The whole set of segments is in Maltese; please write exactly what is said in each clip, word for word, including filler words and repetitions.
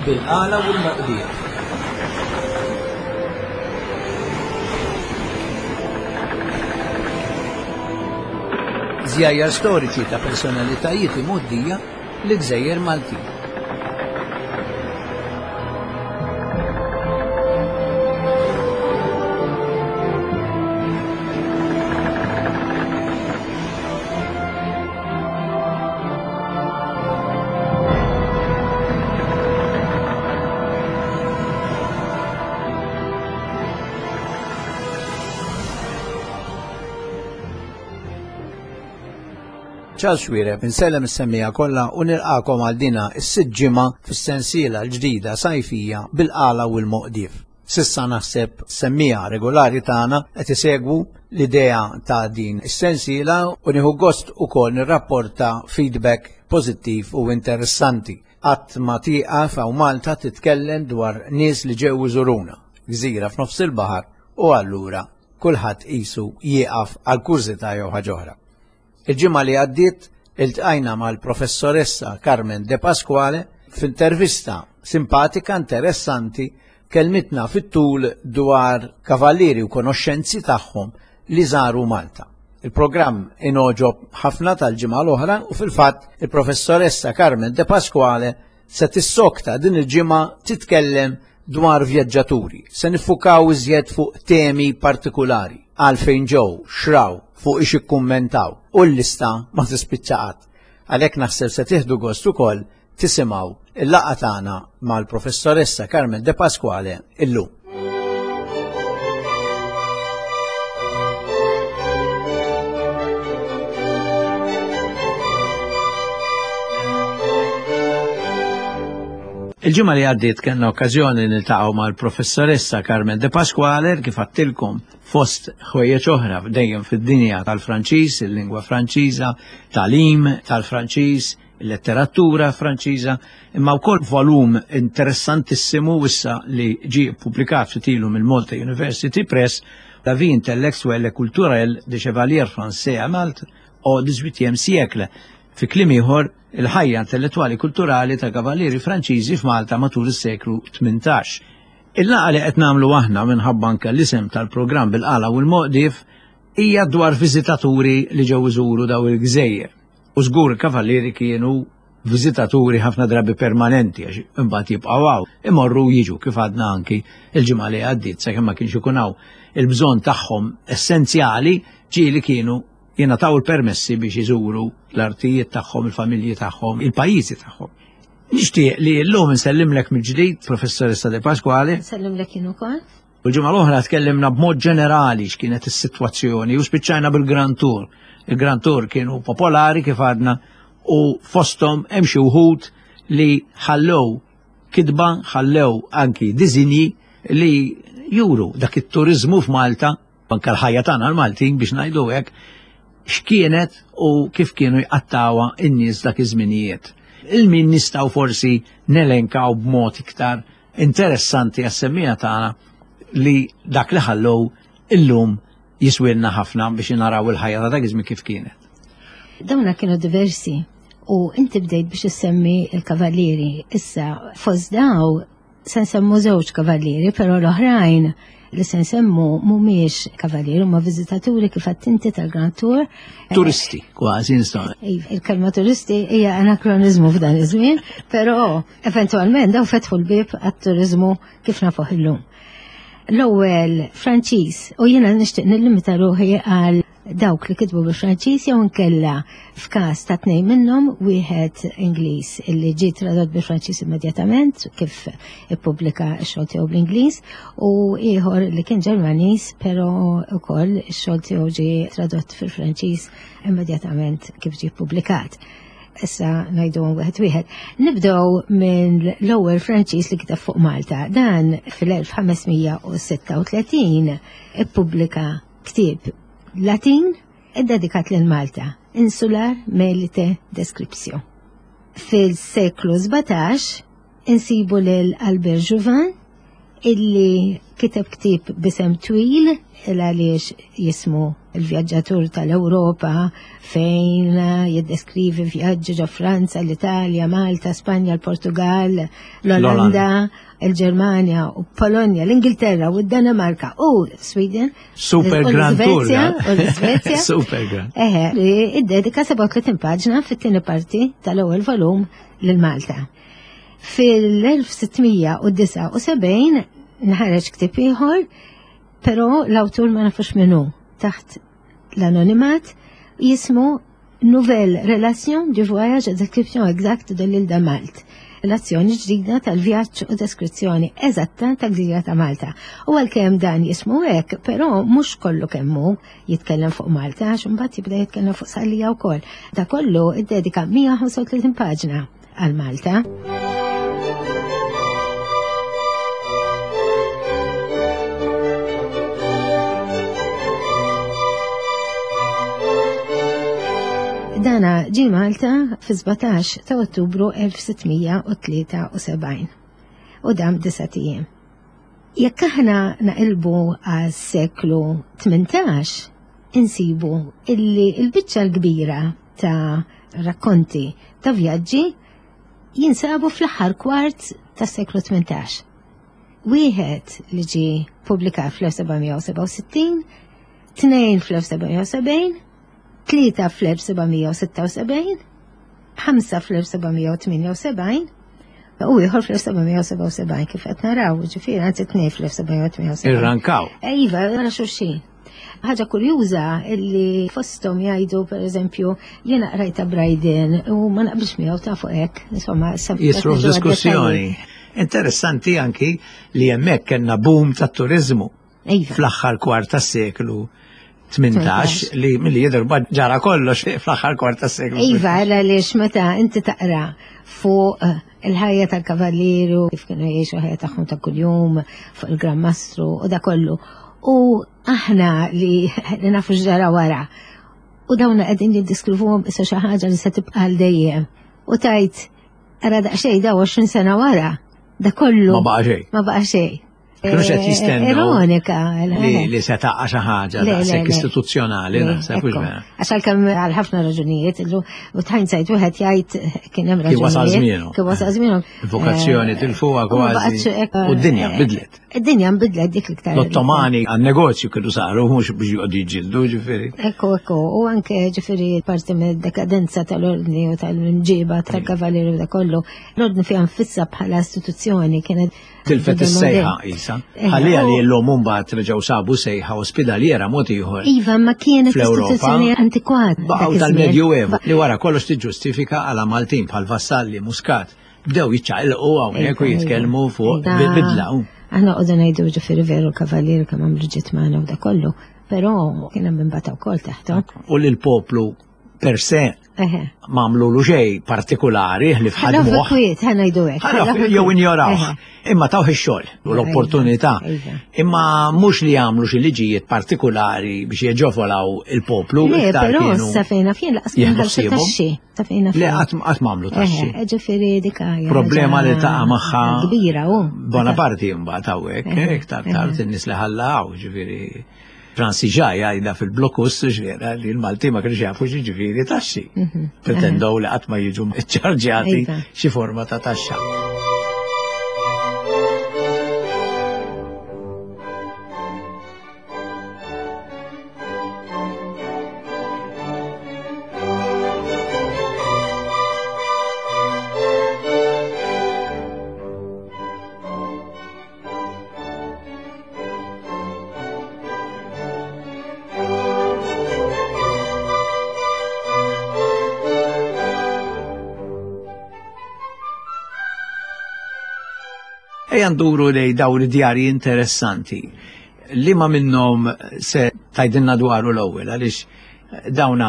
Bil-qala u l-moqdiet. Żjajjar storiċi ta' personalitajiet imgħoddija l-Gżejjer Maltin. Charles Xuereb, insellem is-semmiegħa kollha u nilqakom għal dina is-sitt ġimgħa fis-sensiela l-ġdida sajfija bil-qala u l-moqdif. Sissa naħseb semmiegħa regolari tagħna qed isegwu l-idea ta' din is-sensiela u nieħu gost ukoll nirrapporta feedback pożittiv u interessanti. Qatt ma tieqaf hawn Malta titkellem dwar nies li ġew iżuruna, gżira f'nofs il-baħar u allura kulħadd qisu jieqaf għal kurżità jew ħaġa oħra. Il-ġimgħa li għaddiet iltqajna mal-professoressa Carmen De Pasquale f'intervista simpatika, interessanti, kelmitna fit-tul dwar kavallieri u konoxxenzi tagħhom li żaru Malta. Il-programm inogħġob ħafna tal-ġimgħa l-oħra u fil-fatt il-professoressa Carmen De Pasquale se tissokta din il-ġimgħa titkellem dwar vjaġġaturi. Se niffukaw iżjed fuq temi partikulari, għalfejn ġew, xraw, fuq ix ikkummentaw u l-lista ma tispiċċa qatt. Għalhekk naħseb se tieħdu gost ukoll tisimgħu il-laqgħa tagħna mal-professoressa Carmen De Pasquale illum. Il-ġimgħa li għaddiet kellna okkażjoni niltaqgħu mal-professoressa Carmen De Pasquale kif għattilkom fost ħwejjeġ oħra dejjem fid-dinja tal-Franċiż, il-lingwa Franċiża, tagħlim tal-Franċiż, il-letteratura Franċiża, imma wkoll volum interessantissimu issa li ġie ppubblikat ftit ilu mill-Malta University Press, La vie intellectuelle et culturelle des chevaliers français à Malte au dix-huitième siècle. Fi kliem ieħor, il-ħajja intellettwali kulturali ta' kavallieri Franċiżi f'Malta matul is-seklu tmintax. Il-laqgħa li qed nagħmlu aħna minħabba anke l-isem tal-programm bil-qala u l-moqdif hija dwar viżitaturi li ġew iżuru daw il-gżejjer. U żgur il-kavallieri kienu viżitaturi ħafna drabi permanenti għax imbagħad jibqgħu hawn, imorru jiġu kif għadna anki il-ġimgħa li għaddiet sakemm ma kienx ikun hawn il-bżonn tagħhom essenzjali ġieli kienu jingħataw il-permessi biex iżuru l-artijiet tagħhom, il-familji tagħhom, il-pajjiżi tagħhom. Nixtieq li llum insellimlek mill-ġdid, Professoressa De Pasquale. Nsellimlek jien ukoll. U l-ġimgħa l-oħra tkellimna b'mod ġenerali x'kienet is-sitwazzjoni u spiċċajna bil-Grand Tour. Il-Grand Tour kienu popolari kif għadna u fosthom hemm xi wħud li ħallew kitba, ħallew anki diżinji li juru dak it-turizmu f'Malta, anke l-ħajja tagħna l-Maltin biex ngħidu hekk, x'kienet u kif kienu jqattawha n-nies dak iż-żminijiet. Il-min nistgħu forsi nelenkaw b'mod iktar interessanti għas-semmiegħa tagħna li dak li ħallew illum jiswilna ħafna biex naraw il-ħajja ta' dak iż-żmien kif kienet. Dawna kienu diversi u inti bdejt biex issemmi il-kavallieri. Issa fost daw se nsemmu żewġ kavallieri, però l-oħrajn li se nsemmu mhumiex kavallieri, huma viżitaturi kif għedt inti tal-Grand Tour. Turisti, kważi nistgħu. Iva, il-kelma turisti hija anakronizmu f'dan iż-żmien, però eventwalment daw fetħu l-bieb għat-turiżmu kif nafuh illum. L-ewwel Franċiż, u jiena nixtieq nillimita ruħi għal dawk li kitbu bil-Franċiż jew inkella f'każ ta' tnejn minnhom, wieħed Ingliż illi ġie tradott bil-Franċiż immedjatament kif ippubblika x-xogħol tiegħu bl-Ingliż, u ieħor li kien Ġermaniż però wkoll ix-xogħol tiegħu ġie tradott fil-Franċiż immedjatament kif ġie ppubblikat. Issa ngħidu wieħed wieħed. Nibdew minn l-ewwel Franċiż li kiteb fuq Malta. Dan fil-elf ħamesmija u sitta u tletin ippubblika ktieb Latin iddedikat lil Malta, Insular Melite Descriptio. Fil-seklu sbatax insibu lil Albert Jouvin illi Kiteb ktieb b'isem twil il għaliex jismu il-vjaġġatur tal-Ewropa fejn jiddeskrivi vjaġġi ġo Franza, l-Italja, Malta, Spanja, l-Portugal, l-Olanda, il-Ġermanja u Polonja, l-Ingilterra u d-Danimarka u Sweden. Super u Grand Tour. l-Svezja, u l-Svezja. Super Grand. Eħe, li iddedika sebgħa u tletin paġna fit-tieni parti tal-ewwel volum lil Malta. Fil-elf sittmija u disgħa u sebgħin nħareġ ktieb ieħor, però l-awtur ma nafux minnu, taħt l-anonimat, jismu Nouvelle Relation du Voyage et Description Exacte de l'Île de Malte. Relazzjoni ġdida tal-vjaġġ u deskrizzjoni eżatta tal-gżira ta' Malta. U għalkemm dan jismu hekk, però mhux kollu kemm hu jitkellem fuq Malta, għax imbagħad jibda jitkellem fuq Sqallija wkoll. Da kollu iddedika mija u ħamsa u tletin paġna għal Malta. Dana ġie Malta fi sbatax ta' Ottubru elf sittmija u tlieta u sebgħin u dam disa' ijiem. Jekk aħna naqilbu għas-seklu tmintax, insibu illi l-biċċa l-kbira ta' rakkonti ta' vjaġġi jinsabu fl-aħħar kwart tas-seklu tmintax. Wieħed li ġie ppubblikat fl-elf sebgħamija u sebgħa u sittin, tnejn fl-elf sebgħamija u sebgħin, tlieta fl-elf sebgħamija u sitta u sebgħin, ħamsa fl-elf sebgħamija u tmienja u sebgħin, u ieħor fl-elf sebgħamija u sebgħa u sebgħin kif qed naraw, ġifieri anzi tnejn fl-elf sebgħamija u tmienja u sebgħin. Irrankaw. Iva, wara xulxin. Ħaġa kurjuża illi fosthom jgħidu, per eżempju, jiena qrajta Bryden u ma naqbilx miegħu ta' fuq hekk, insomma, issa Jisru qed niġu f'diskussjoni. għad-dettalji. Interessanti anki li hemmhekk kellna boom tat-turiżmu Iva. fl-aħħar kwart tas-seklu tmintax, li milli jidher bad ġara kollox fl-aħħar kwart tas-seklu. Iva, għaliex meta inti taqra fuq il-ħajja tal-kavalieru, kif kienu jgħixu ħajja tagħhom ta' kuljum, fuq il-Gran Mastru u da kollu. U aħna li, li nafu x'ġara wara. U dawna qegħdin jiddeskrivuhom issa xi ħaġa li se tibqa' għal dejjem. U tajt, ara daqsxejn da għoxrin sena wara, da kollu. Ma baqa' xejn. Ma baqa' xejn. Kienu xed jistennew Ironika, li, li se taqa' xi ħaġa Le, le, daqshekk le. istituzzjonali, Le, naħseb, hux ekku. vera. Għax għalkemm għal ħafna raġunijiet, illu, u tħajn sajt wieħed jgħid kien hemm Kien wasal raġunijiet, żmienu. Kien wasal żmienu. Il-vokazzjoni Eh, tilfuha u ma kważi. baqgħetx hekk, U d-dinja eh, nbidlet. Id-dinja nbidlet dik l-iktar. L-Ottomani għan-negozju kienu saru mhux biex joqogħdu jiġġieldu, ġifieri. Ekku, ekku, u anke ġifieri parti mid-dekadenza tal-ordni u tal-imġiba tal-kavalieru da kollu. L-ordni fiha nfissa bħala istituzzjoni kienet Tilfet bidel is-sejħa modell. isa. Eh, Ħalliha li u- llum mbagħad reġgħu sabu sejħa ospedaliera mod ieħor. Iva, ma kienet Fl-Ewropa istituzzjoni antikwata dak Baqgħu iż-żmien. tal-Medjuevu li wara kollox tiġġustifika għala Maltin bħal Vassalli, Muscat bdew jiċċaqilqu hawnhekk u Iva, jitkellmu iva. fuq Da- bidla. Aħna qogħdu ngħidu ġifieri veru l-kavallieri kemm għamlu ġiet magħna u da kollu, però kien hemm imbagħad wkoll taħthom. U lil poplu per se Eħe. ma għamlulu xejn partikolari li Ħallu fħadmuh. kwiet, ħa ngħidu hekk. Ħallu Ħallu jew kwiet. injorawh. Eħe. Imma tawh ix-xogħol u l-opportunità. Iva. Imma mhux li jagħmlu xi liġijiet partikolari biex jeġofolaw il-poplu. Le, iktar però kienu sa fejna fien laqas kienu jieħdu ħallsu ħsiebhom. taxxi. Sa fejna Le, fien. qatt qatt m'għamlu taxxi. Eħe, ġifieri dik hija Problema li ħaġa taqa' magħha kbira hu. Bonaparte mbagħad hawnhekk, Eħe, iktar eħe. tard in-nies li ħallaw, ġifieri Francis ġa jgħidha fil-blokus ġifieri li l-Malti ma kienx jafu xi ġifieri taxxi. Mhm. Pretendow li qatt ma jiġu ċċarġjati Iva. xi forma ta' taxxa. Ejja nduru lej dawn id-djarji interessanti. Li ma minnhom se tajdinna dwaru l-ewwel, għaliex dawna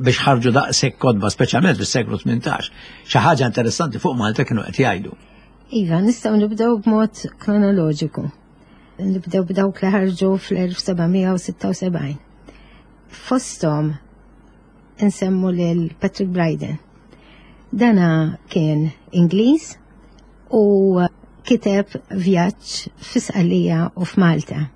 biex ħarġu daqshekk kotba, speċjalment fis-seklu tmintax, xi ħaġa interessanti fuq Malta kienu qed jgħidu. Iva, nistgħu nibdew b'mod kronoloġiku. Nibdew b'dawk li ħarġu fl-elf sebgħamija u sitta u sebgħin. Fosthom nsemmu lil Patrick Bryden. Dana kien Ingliż u kiteb vjaġġ fi Sqallija u f'Malta.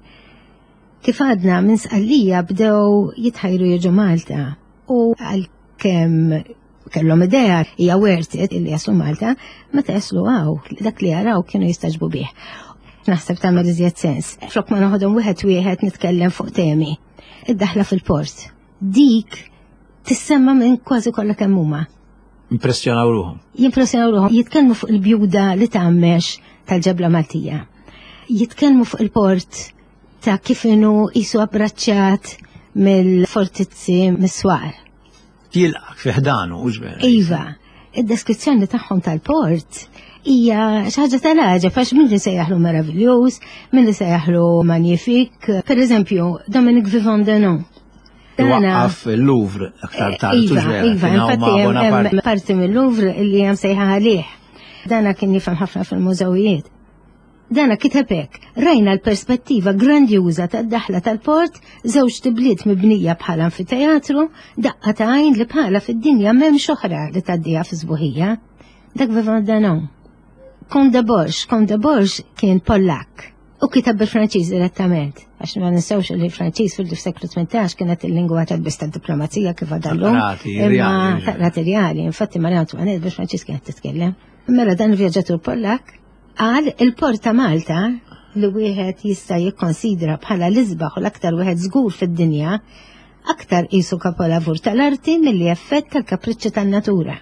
Kif għadna minn Sqallija bdew jitħajru jiġu Malta u għalkemm kellhom idea hija worth it illi jaslu Malta, meta jaslu hawn dak li jaraw kienu jistagħġbu bih. Naħseb tagħmel iżjed sens. Flok ma noħodhom wieħed wieħed nitkellem fuq temi. Id-daħla fil-port. Dik tissemma minn kważi kollha kemm huma. Impressjonaw ruħhom. Jimpressjonaw ruħhom. Jitkellmu fuq il-bjuda li tgħammex tal-ġebla Maltija. Jitkellmu fuq il-port ta' kif inhu qisu abbraċċat mill-fortizzi mis-swar. Jilqak fi ħdanu, hux vera? Iva, id-deskrizzjoni tagħhom tal-port hija xi ħaġa tal-għaġeb għax min li sejjaħlu meraviljuż, min li sejjaħlu magnifique. Per eżempju, Dominique Vivant Denon. Waqqaf il-Louvre aktar tard. Iva, iva, infatti hemm parti mill-Louvre li hemm sejħa għalih. Dana kien jifhem ħafna fil-mużewijiet. Dana kiteb hekk, rajna l-perspettiva grandjuża tad-daħla tal-port, żewġ tibliet mibnija bħala anfiteatru, daqqa ta' għajn li bħala fid-dinja m'hemmx oħra li tgħaddiha fi sbuħija. Dak Vivant Denon. Comte de Borges, Comte de Borges kien Pollak u kitab bil-Franċiż direttament, għax ma ninsewx li l-Franċiż fil-seklu tmintax kienet il-lingwa tal-biss tad-diplomazija kif għadha llum. Tal-qrati Imma rjali. tal-qrati rjali, infatti Maria Antoinette bil-Franċiż kienet titkellem. Mela dan il-vjaġġatur Pollak qal il-port ta' Malta li wieħed jista' jikkonsidra bħala l-isbaħ u l-aktar wieħed żgur fid-dinja, aktar qisu kapolavur tal-arti milli effett tal-kapriċċi tan-natura.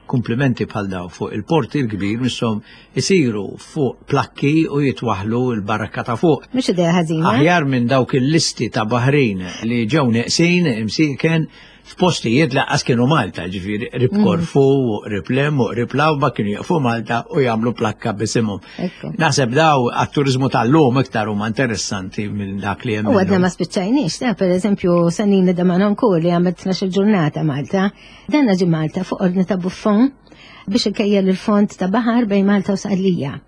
Komplimenti bħal daw fuq il-port il-kbir misshom isiru fuq plakki u jitwaħlu l-barrakka ta' fuq. Mhux idea ħażina. Aħjar minn dawk il-listi ta' baħrin li ġew neqsin imsiken f'postijiet lanqas kienu Malta, ġifieri qrib Mm. Korfu, u qrib Lem, u qrib Lawba kienu jaqfu Malta u jagħmlu plakka bisimhom. Ekku. Naħseb daw għat-turizmu tal-lum iktar huma interessanti minn dak li hemm. U għadna illum. ma spiċċajniex, ta' per eżempju Sannini de Manoncourt li għamlet tnax-il ġurnata Malta, dan ġie Malta fuq ordni ta' Buffon biex ikejjel il-fond ta' baħar bejn Malta u Sqallija.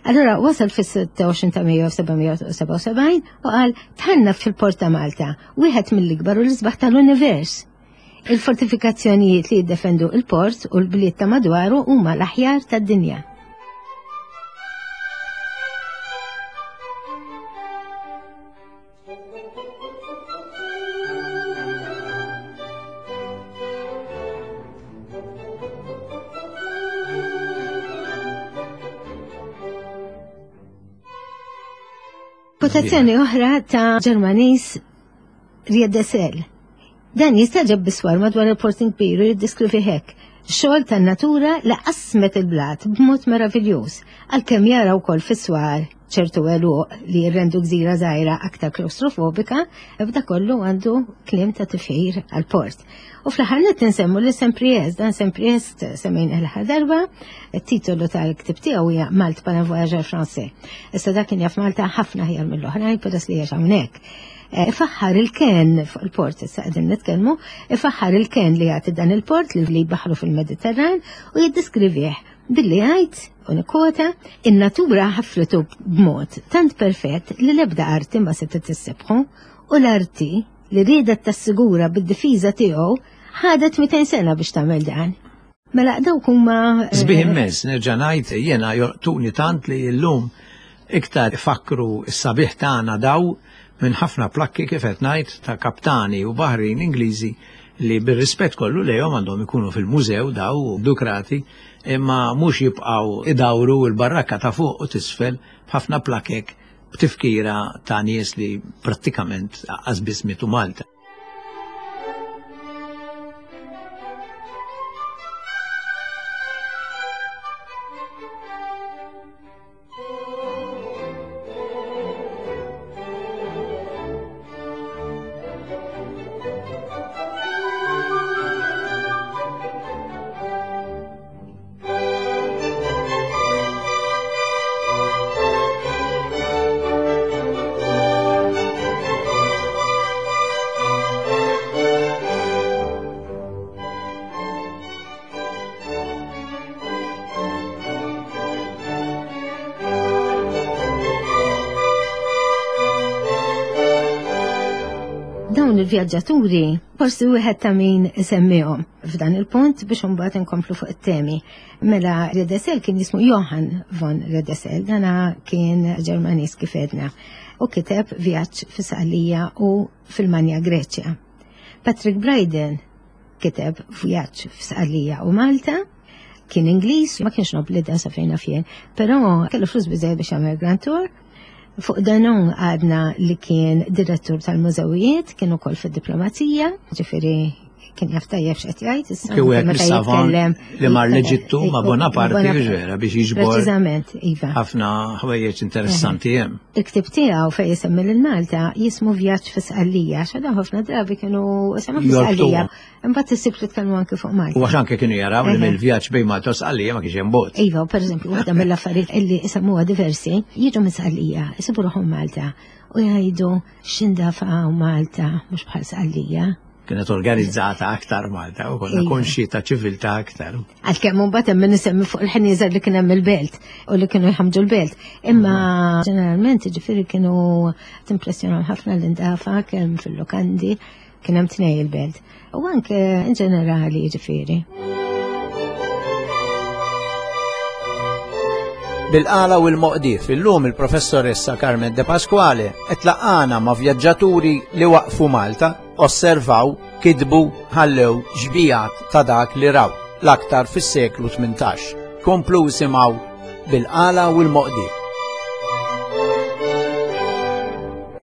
Allora wasal fis-sitta u għoxrin ta' Mejju seba' mija u sebgħa u sebgħin u qal tħanna fil-port ta' Malta, wieħed mill-ikbar u l-isbaħ tal-univers. Il-fortifikazzjonijiet li jiddefendu il-port u l-bliet ta' madwaru huma l-aħjar tad-dinja. Kwotazzjoni oħra ta' Ġermaniż Riedesel. Dan jistagħġeb biswar madwar il-port kbir u jiddeskrivi hekk. Xogħol tan-natura li qasmet il-blat b'mod meraviljuż, għalkemm jara wkoll fis-swar ċertu għeluq li jirrendu gżira żgħira aktar klaustrofobika, b'da kollu għandu kliem ta' tifħir għal-port. U fl-aħħar nett insemmu li Saint-Priest, dan Saint-Priest semmejna l-aħħar darba, it-titolu tal-ktib tiegħu hija Malte par un voyageur français. Issa dak kien jaf Malta ħafna aħjar mill-oħrajn peress li għex hawnhekk. Eh, ifaħħar il-ken fuq il-port, issa qegħdin nitkellmu, ifaħħar il-ken li jagħti dan il-port li jbaħħru fil-Mediterran u jiddeskrivih billi jgħid, u nikkwota, in-natura ħafritu b'mod tant perfett li l-ebda arti ma setgħet tissebħu u l-arti li riedet tassigura bid-difiża tiegħu ħadet mitejn sena biex tagħmel dan. Mela dawk huma, eh, Sbieħ immens, nerġa' ngħid jiena jolqtuni tant li llum iktar fakru s-sabiħ tagħna daw minn ħafna plakki kif qed ngħid ta' kaptani u baħrin Ingliżi li bir-rispett kollu lejhom għandhom ikunu fil-mużew daw dukrati imma mhux jibqgħu idawru l-barrakka ta' fuq u tisfel b'ħafna plakek b'tifkira ta' nies li prattikament lanqas biss mietu Malta. Dawn il-vjaġġaturi forsi wieħed ta' min isemmihom f'dan il-punt biex imbagħad inkomplu fuq it-temi. Mela Riedesel kien jismu Johann von Riedesel, dana kien Ġermaniż kif għedna, u kiteb vjaġġ fi Sqallija u fil-Manja Greċja. Patrick Bryden kiteb vjaġġ f'Sqallija u Malta, kien Ingliż, ma kienx nobli dan sa fejn naf jien, però kellu flus biżejjed biex jagħmel Grand Tour. Fuq Danon għadna li kien direttur tal-mużewijiet, kien ukoll fid-diplomazija, ġifieri kien jaf tajjeb x'qed jgħid, issa Kien wieħed meta mis-savant jitkellem- li mar l-Eġittu ma' Bonaparte Bonaparte. vera biex jiġbor Preċiżament, iva. ħafna ħwejjeġ interessanti hemm. Il-ktib tiegħu fejn jisemmi lil Malta jismu Vjaġġ fi Sqallija, għax dawn ħafna drabi kienu semmu fi Jorbtuha. Sqallija. Imbagħad issib li tkellmu anke fuq Malta. U għax anke kienu jaraw li Eħe. mill-vjaġġ bejn Malta u Sqallija ma kienx hemm bogħod. Iva, per eżempju, waħda mill-affarijiet illi isemmuha diversi, jiġu minn Sqallija, isibu ruħhom Malta u jgħidu x'indafa hawn Malta mhux bħal Sqallija. Kienet organizzata aktar Malta u konna Iva. konxi ta' ċiviltà aktar. Għalkemm mbagħad hemm min isemmi fuq il-ħnieżer li kien hemm il-belt u li kienu jħamġu l-belt. Imma ġeneralment ġifieri kienu timpressjonaw ħafna l-indafa kemm fil-lokandi kien hemm tnej il-belt. U anke in ġenerali ġifieri. Bil-qala u l-moqdif, illum il-professoressa Carmen De Pasquale qed laqana ma' vjaġġaturi li waqfu Malta, osservaw, kitbu, ħallew xbijat ta' dak li raw, l-aktar fis-seklu tmintax. Komplu simgħu bil-qala u l-moqdif.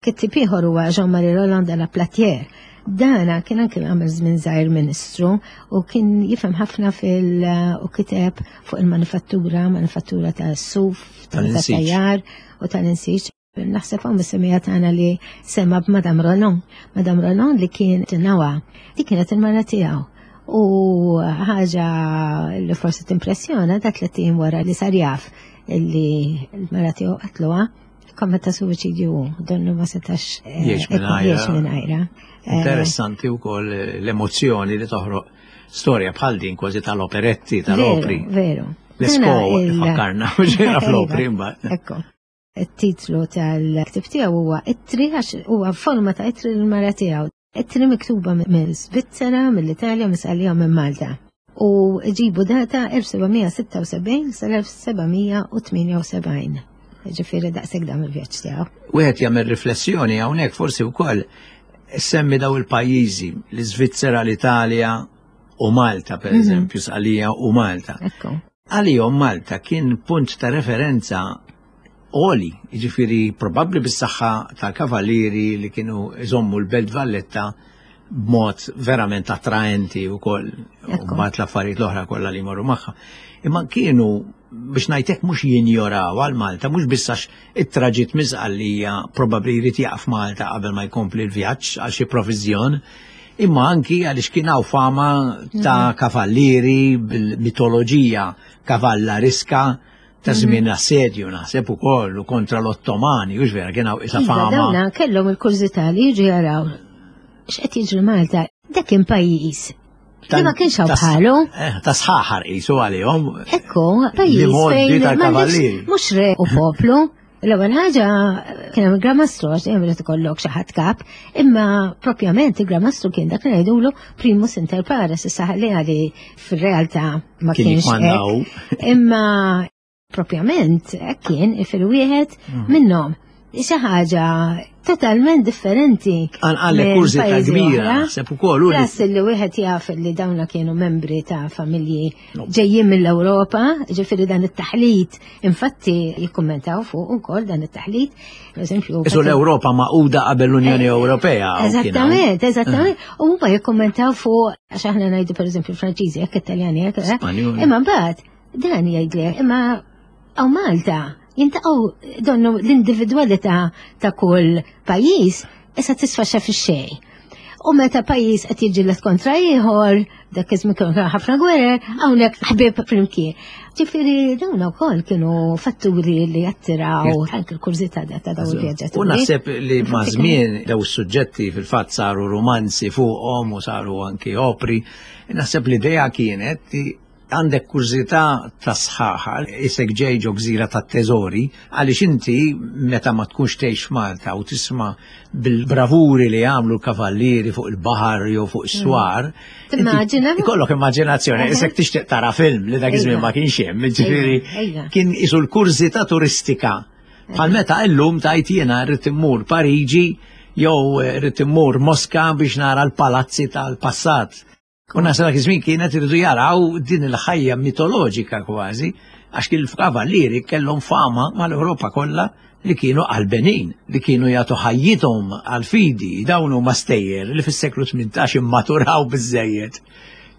Kittib ieħor huwa Jean-Marie Roland de la Platière. Dana kien anke għamel żmien żgħir ministru u kien jifhem ħafna fil u kiteb fuq il-manifattura, manifattura ta' suf, Tal-insiġ. tajjar u tal-insiġ. Naħseb hawn mis-semija tagħna li sema b'Madame Roland. Madame Roland li kien tinnawa. Dik kienet il-mara tiegħu. U ħaġa li forsi timpressjona dak li tim wara li sar jaf illi l-mara tiegħu qatluha kommetta suwiċidju donnu ma setax eh, Jgħix mingħajra. jgħix mingħajra. Eh, Interessanti wkoll l-emozzjoni li toħroq storja bħal din kważi tal-operetti, tal-opri. Veru, veru. L-esko Dana il- fakkarna, ġera fl-opri Iva, mbagħad. Ekku. Il-titlu tal-ktib tiegħu huwa Ittri għax huwa forma ta' ittri l-mara tiegħu. Ittri miktuba minn Svizzera, mill-Italja, minn Sqallija u minn Malta. U ġibu data elf sebgħamija sitta u sebgħin sal-elf sebgħamija u tmienja u sebgħin. Ġifieri daqshekk dam il-vjaġġ tiegħu. Wieħed jagħmel riflessjoni hawnhekk forsi wkoll semmi daw il-pajjiżi, l-Iżvizzera, l-Italja u Malta, per Mhm. eżempju, Sqallija u Malta. Ekku. Għalihom Malta kien punt ta' referenza għoli, jiġifieri probabbli bis-saħħa tal-kavallieri li kienu iżommu l-Belt Valletta b'mod verament attraenti wkoll, u Ekku. mbagħad l-affarijiet l-oħra kollha li jmorru magħha. Imma kienu biex ngħidlek mhux jinjoraw għal Malta, mhux biss għax it-traġitt miżqallija probabbli jrid jaqaf Malta qabel ma jkompli l-vjaġġ għal xi proviżjon, imma anki għaliex kien hawn fama ta' kavallieri bil-mitoloġija kavallariska ta' żmien assedju naħseb ukoll u kontra l-Ottomani, hux vera kien hawn isa Iva, fama. dawna kellhom il-kurżità li jiġu jaraw x'qed jiġri Malta. Dak kien pajjiż li ma kienx hawn Ta' bħalu. Eh, ta' sħaħar qisu għalihom. Ekku, pajjiż Li modi fejn tal-kavallieri. m'għandekx mhux re u poplu. L-ewwel ħaġa kien hemm il-Gran Mastru għax dejjem irid ikollok xi ħadd kap, imma propjament il-Gran Mastru kien dak li ngħidulu primus inter pares, issa ħalli għali fir-realtà ma Kien kienx jikmandaw. hekk. Imma propjament hekk kien fil-wieħed Mm. minnhom. Xi ħaġa totalment differenti. Għanqalle minn kurżità pajjiżi kbira, oħra. naħseb ukoll u li Plus li wieħed jaf li dawna kienu membri ta' familji No. ġejjin mill-Ewropa, ġifieri dan it-taħlit, infatti jikkummentaw fuq ukoll dan it-taħlit, per eżempju. Isu l-Ewropa maquda qabel l-Unjoni Ewropea. u kien hawn. Eżattament, eżattament. U huma jikkummentaw fuq għax aħna ngħidu per eżempju l-Franċiżi, jekk Italjani, jekk eh? Spanjoli. Imma mbagħad dan jgħidlek, imma hawn Malta jintaqgħu donnu l-individwalità ta' kull pajjiż issa tisfaxxa fix-xejn. U meta pajjiż qed jiġġieled kontra ieħor, dak iż-żmien kienu ħafna gwerer, hawnhekk ħbieb flimkien. Ġifieri dawn ukoll kienu fatturi li jattiraw anke l-kurżità ta' dawn il-vjaġġaturi. U naħseb li ma' Infatti żmien daw is-suġġetti fil-fatt saru romanzi fuqhom u saru anki opri. Naħseb l-idea kienet li Għandek kurżità ta' sħaħa, isek ġej ġo gżira ta' teżori, għaliex inti meta ma tkunx tgħix Malta u tisma' bil-bravuri li għamlu l-kavallieri fuq il-baħar jew fuq is-swar. Timmaġina? Ikollok immaġinazzjoni, isek tixtieq tara film li dak iż-żmien ma kienx hemm, ġifieri kien isu l-kurżità turistika. Bħal meta illum tajt jiena rrid immur Pariġi jew rrid immur Moska biex nara l-palazzi tal-passat. U nasa dak iż-żmien kienet iridu jaraw din il-ħajja mitoloġika kważi, għax il-kavallieri kellhom fama mal-Ewropa kollha li kienu qalbenin, li kienu jagħtu ħajjithom għal-fidi, dawn huma stejjer li fis-seklu tmintax immaturaw biżejjed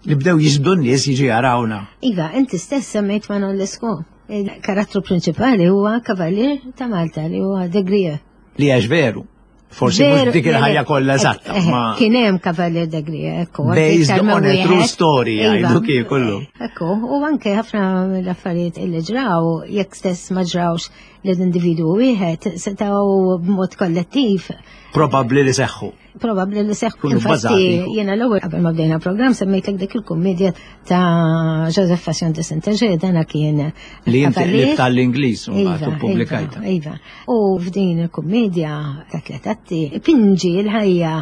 li bdew jiġbdu n-nies jiġu jarawna. Iva, inti stess semmejt Manon Lescaut. Il-karattru prinċipali huwa kavallier ta' Malta li huwa de Grieux. Li għax veru. Forsi mhux dik il-ħajja kollha eżatta, ma kien hemm Cavalier de Grieux, ekku. Based on a true story, jgħidu kif kollu. Ekku, u anke ħafna mill-affarijiet illi ġraw, jekk stess ma ġrawx l-individwu wieħed, setgħu b'mod kollettiv. Probabbli li seħħu. Probabbli li seħħu. Infatti, jiena l-ewwel qabel ma bdejna programm semmejtlek dik il-kummedja ta' Joseph Passion de Saint-Eger, dana kien li inti qlibt tal-Ingliż u mbagħad ippubblikajta. Iva. U f'din il-kummedja ta' tliet atti pinġi l-ħajja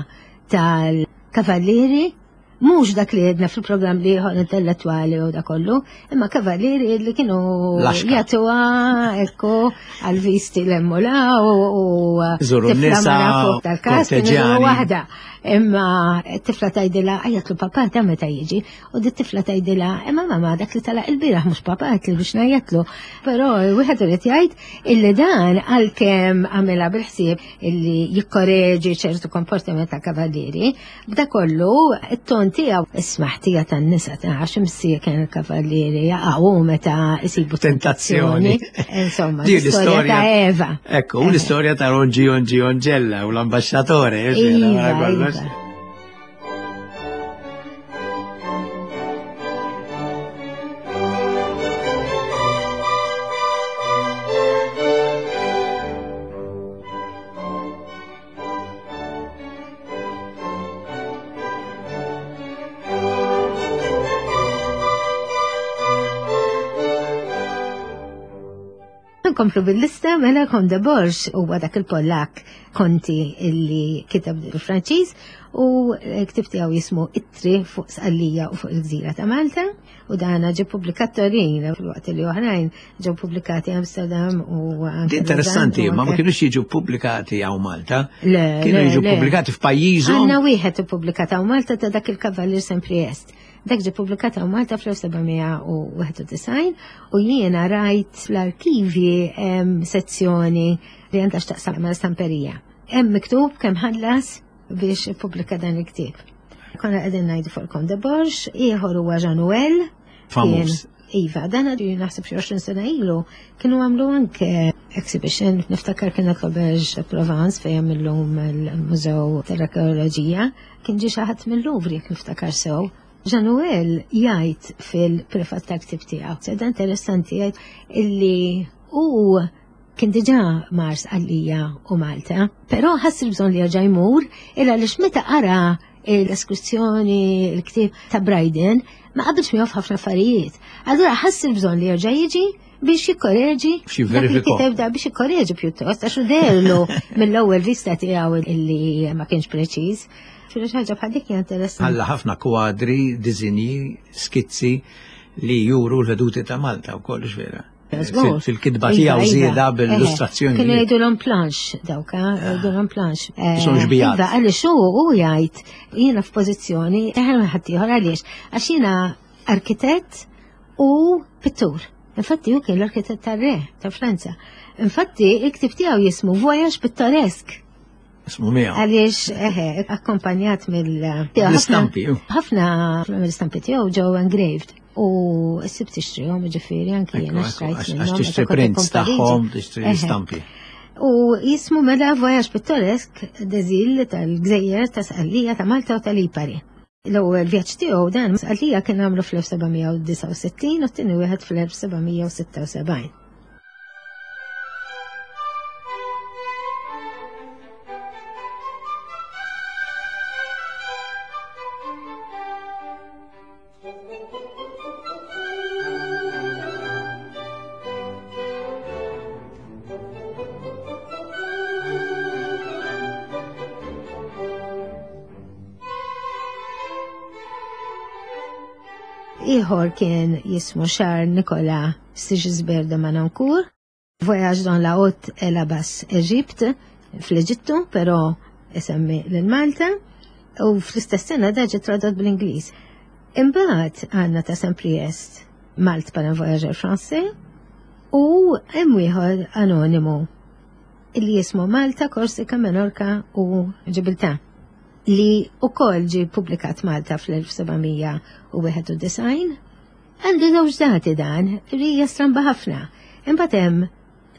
tal-kavallieri, mhux dak li għedna fil-programm li ieħor intellettwali u da kollu, imma kavallieri li kienu jagħtuha ekku għal-visti l-emmula u tifla mara fuq tal-kas kienu waħda. Imma t-tifla tgħidilha għajjatlu papà ta' meta jiġi, u di t-tifla tgħidilha imma mamma dak li talaq il-bieraħ mhux papà li biex ngħajjatlu. Però wieħed irid jgħid illi dan għalkemm għamilha bil-ħsieb illi jikkoreġi ċertu komportament ta' kavallieri, b'da kollu it-ton tiegħu ismaħ tija tan-nisa ta' għax imsija kien il-kavallieri jaqgħu meta isibu tentazzjoni. Insomma, l-istorja ta' Eva. Ekku, u l-istorja ta' Rongi Ongi Ongella u l-ambasċatore. Iva. Nkomplu bil-lista, mela Comte de Borges huwa dak il-Pollak konti illi kiteb bil-Franċiż u ktib tiegħu jismu Ittri fuq Sqallija u fuq il-Gżira ta' Malta, u dana ġie ppubblikat Torino fil-waqt li oħrajn ġew pubblikati Amsterdam u anke. Interessanti, ma ma kienux jiġu pubblikati hawn Malta. Kienu jiġu pubblikati f'pajjiżhom. Għandna wieħed ippubblikat hawn Malta ta' dak il-Kavallier Saint-Priest. Dak ġie ppubblikat hawn Malta fl-elf sebgħamija u wieħed u disgħin u jiena rajt fl-arkivji sezzjoni li għandha x'taqsam mal-stamperija. Hemm miktub kemm ħallas biex ippubblika dan il-ktieb. Konna qegħdin ngħidu fuq Comte de Borges, ieħor huwa Jean Nouel. Famuż. Iva, dan għadu naħseb xi għoxrin sena ilu, kienu għamlu anke exhibition, niftakar kienet l-Auberge Provence fejn hemm illum il-Mużew tal-Arkeoloġija, kien ġie xi ħadd mill-Louvre jekk niftakar sew. Jean Nouel jgħid fil-prefat tal-ktib tiegħu, seda interessanti jgħid illi hu kien diġà mar Sqallija u Malta, però ħass il-bżonn li jerġa' jmur illa għaliex meta qara l-eskursjoni, il-ktieb ta' Bryden, ma qabilx miegħu f'ħafna affarijiet. Allura ħass il-bżonn li jerġa' jiġi biex jikkoreġi dak da biex jikkoreġi pjuttost għax derlu mill-ewwel vista tiegħu illi ma kienx preċiż. Xi ħaġa bħal dik hija interessanti. Ħalla ħafna kwadri, disinji, skizzi li juru l-veduti ta' Malta u kollox vera. Fil-kitba tiegħu żieda bil-illustrazzjoni. Kienu jgħidulhom planx dawk, jgħidulhom planx. Isom xbijat. Iva, għaliex hu hu jgħid jiena f'pożizzjoni eħel minn ħadd ieħor għaliex għax jiena arkitett u pittur. Infatti hu kien l-arkitett tar-re ta' Franza. Infatti il-ktib tiegħu jismu Voyage Pittoresque. Ismu miegħu. Għaliex eħe, akkompanjat mill L-istampi. Ħafna mill-istampi tiegħu ġew engraved. U ssib tixtrihom, ġifieri anki jiena xtrajt minnhom. Għax tixtri prints tagħhom, tixtri stampi. U jismu mela Voyage Pittoresque des Îles tal-Gżejjer ta' Sqallija ta' Malta u tal-Lipari. L-ewwel vjaġġ tiegħu dan Sqallija kien għamlu fl-elf sebgħamija u disgħa u sittin u t-tieni wieħed fl-elf sebgħamija u sitta u sebgħin. Ieħor kien jismu Charles Nicolas Sigisbert de Manoncourt, Voyage dans la Haute et la Basse Égypte, fl-Eġittu, però isemmi lil Malta, u fl-istess sena da ġie tradott bl-Ingliż. Imbagħad għandna ta' Saint-Priest, Malte par un voyageur français, u hemm ieħor anonimu li jismu Malta, Korsika, Menorka u Ġibiltà li ukoll ġie ppubblikat Malta fl-elf seba' mija u wieħed u disgħin. Għandu żewġ dati dan, li hija stramba ħafna. Imbagħad hemm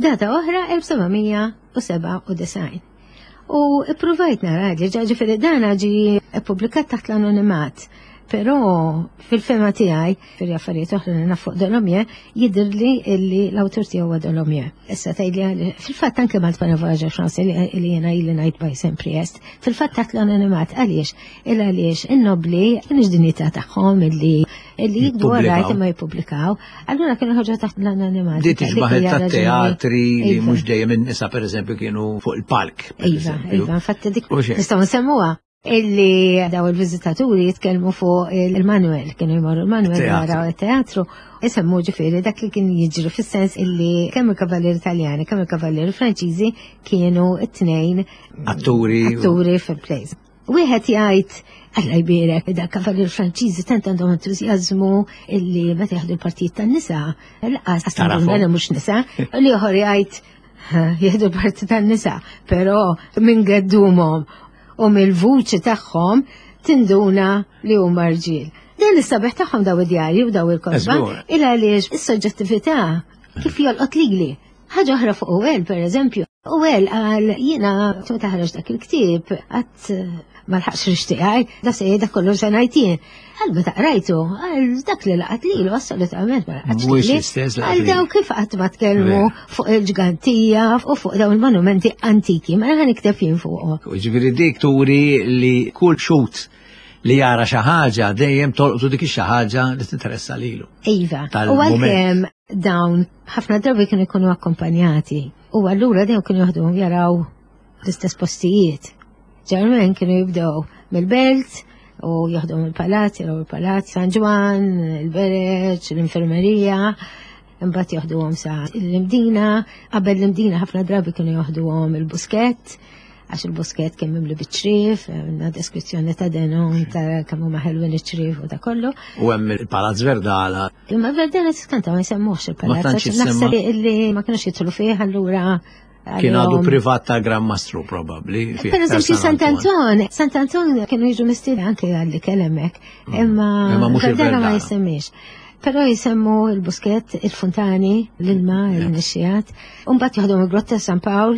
data oħra elf seba' mija u seba' u disgħin. U ippruvajt nara li ġa ġifieri dan ġie ppubblikat taħt l-anonimat. Però fil-fema tiegħi, fil-affarijiet oħra li naf fuq Dolomieu, jidhirli illi l-awtur tiegħu huwa Dolomieu. Issa tgħidli għal-, fil-fatt anke Malte par un voyageur français li, li jiena ili ngħid by Saint-Priest, fil-fatt taħt l-anonimat għaliex? Il għaliex in-nobli kienx dinjità tagħhom illi, illi jikdu Jippubblikaw. għarajt imma jippubblikaw. Allura kienu ħarġu taħt l-anonimat. Di tixbaħ Dik hija tat-teatri li Iva. mhux dejjem in-nisa pereżempju kienu fuq il-palk, per Iva, eżempju. iva, infatti dik U xejn. nistgħu nsemmuha. Illi daw il-viżitaturi jitkellmu fuq il-Manuel, kienu jmorru il-Manuel Il-teatru. jaraw il-teatru, isemmu ġifieri dak li kien jiġri fis-sens illi kemm il-kavallieri Taljani, kemm il-kavallieri Franċiżi kienu t-tnejn Atturi. atturi fil-plays. Wieħed jgħid, Alla jbierek, da kavallieri Franċiżi tant għandhom entużjażmu illi meta jaħdu l-partijiet tan-nisa, laqas Tarafhom. għandhom mhux nisa, u l-ieħor jgħid, ha, jieħdu l-parti tan-nisa, però minn geddumhom u mill-vuċi tagħhom tinduna li huma rġiel. Dan is-sabiħ tagħhom daw id-djarji u daw il-kotba, Eżgur. il għaliex is-soġġettività kif jolqot lili. Ħaġa oħra fuq Houël, per eżempju. Houël qal jiena meta ħareġ dak il-ktieb qatt ma lħaqx rixtiqaj, da se dak kollu se ngħid jien. Għal meta qrajtu, għal dak li laqat lilu assolutament ma laqatx Mhuwiex lili. l-istess laqat Għal daw lilu. kif qatt ma tkellmu Vera. fuq il-ġgantija u fuq dawn il-monumenti antiki, ma ħa nikteb jien fuqhom. U ġifieri dik turi li kull xut li jara xi ħaġa dejjem tolqtu dik ix-xi ħaġa li tinteressa lilu. Iva, u Tal-mument. għalkemm dawn ħafna drabi kienu jkunu akkompanjati u allura dejjem kienu jaħdu jaraw l-istess postijiet. Ġermen kienu jibdew mill-belt u jaħdu mill-palazz, jaraw il-palazz San Ġwann, il-Bereġ, l-infermerija, imbagħad jaħduhom sa l-Imdina, qabel l-Imdina ħafna drabi kienu jaħduhom il-Buskett, għax il-Buskett kien mimli biċ-ċriev, għandna deskrizzjoni ta' Denon ta' kemm huma ħelwin iċ-ċriev u ta' kollu. U hemm il-Palazz Verdala. Imma Verdala tiskanta ma jsemmuhx il-palazz, Ma tantx għax naħseb jissemma. illi ma kinux jidħlu fih, allura Kien għadu għalihom privat ta' Gran Mastru probabbli, fih Per eżempju, ta' San Sant Anton. Sant Anton kienu jiġu mistiedna anke għalli kellemek, Mm. imma Imma mhux Verdala ma il-Verdala. jisemmix. Però jisemmu il-Buskett, il-Fontani, l-ilma, Mm. il-nixxijat. U mbagħad jaħdmu il-Grotta San Pawl,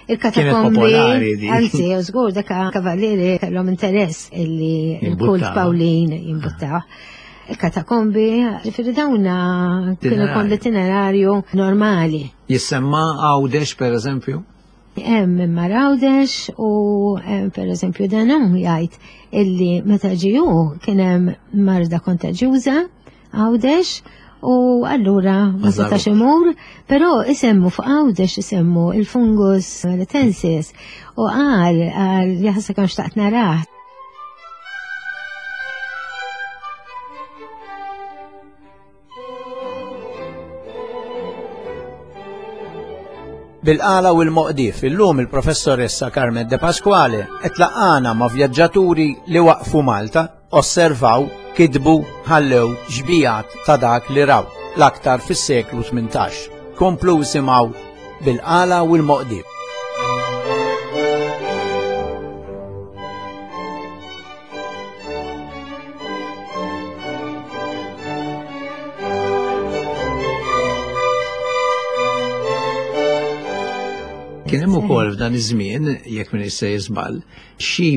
il-katakombi, Kienet popolari di. Anzi, u żgur dak kavallieri kellhom interess illi il-kult Jimbuttaw. Pawlin jimbuttaw. Il-katakombi, ġifieri dawna kienu Itinerarju. kon l-itinerarju normali. Jissemma Għawdex, per eżempju? Hemm imma Għawdex u hemm per eżempju Denon jgħid illi meta ġiju kien hemm marda kontaġjuża Għawdex u allura ma Ma setax żarux. imur, però isemmu fuq Għawdex isemmu il-fungus melitensis u qal qal jaħseb kemm xtaqt narah. Bil-qala u l-moqdif, illum il-professoressa Carmen De Pasquale qed laqana ma' vjaġġaturi li waqfu Malta, osservaw, kidbu, ħallew xbijat ta' dak li raw l-aktar fis-seklu tmintax. Komplu simgħu bil-qala u l-moqdif. Kien hemm ukoll f'dan iż-żmien, jekk min issa jiżball, xi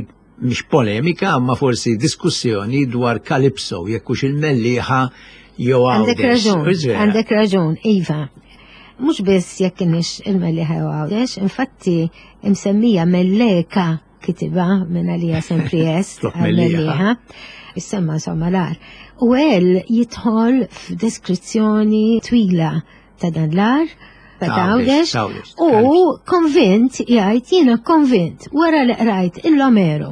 mhix polemika, imma forsi diskussjoni dwar Kalipso, jekk hux il-Mellieħa jew Għandek Għawdex. raġun, Hux vera? għandek raġun, iva. Mhux biss jekk kienx il-Mellieħa jew Għawdex, infatti imsemmija Melleka kitiba minn għalija Saint-Priest, Flok Mellieħa. Mellieħa. Issemma insomma l-għar. U għel jidħol f'deskrizzjoni twila ta' dan l-għar, ta' Għawdex, Għawdex, Għawdex, u konvint, jgħid, jiena konvint, wara li qrajt il-Omeru,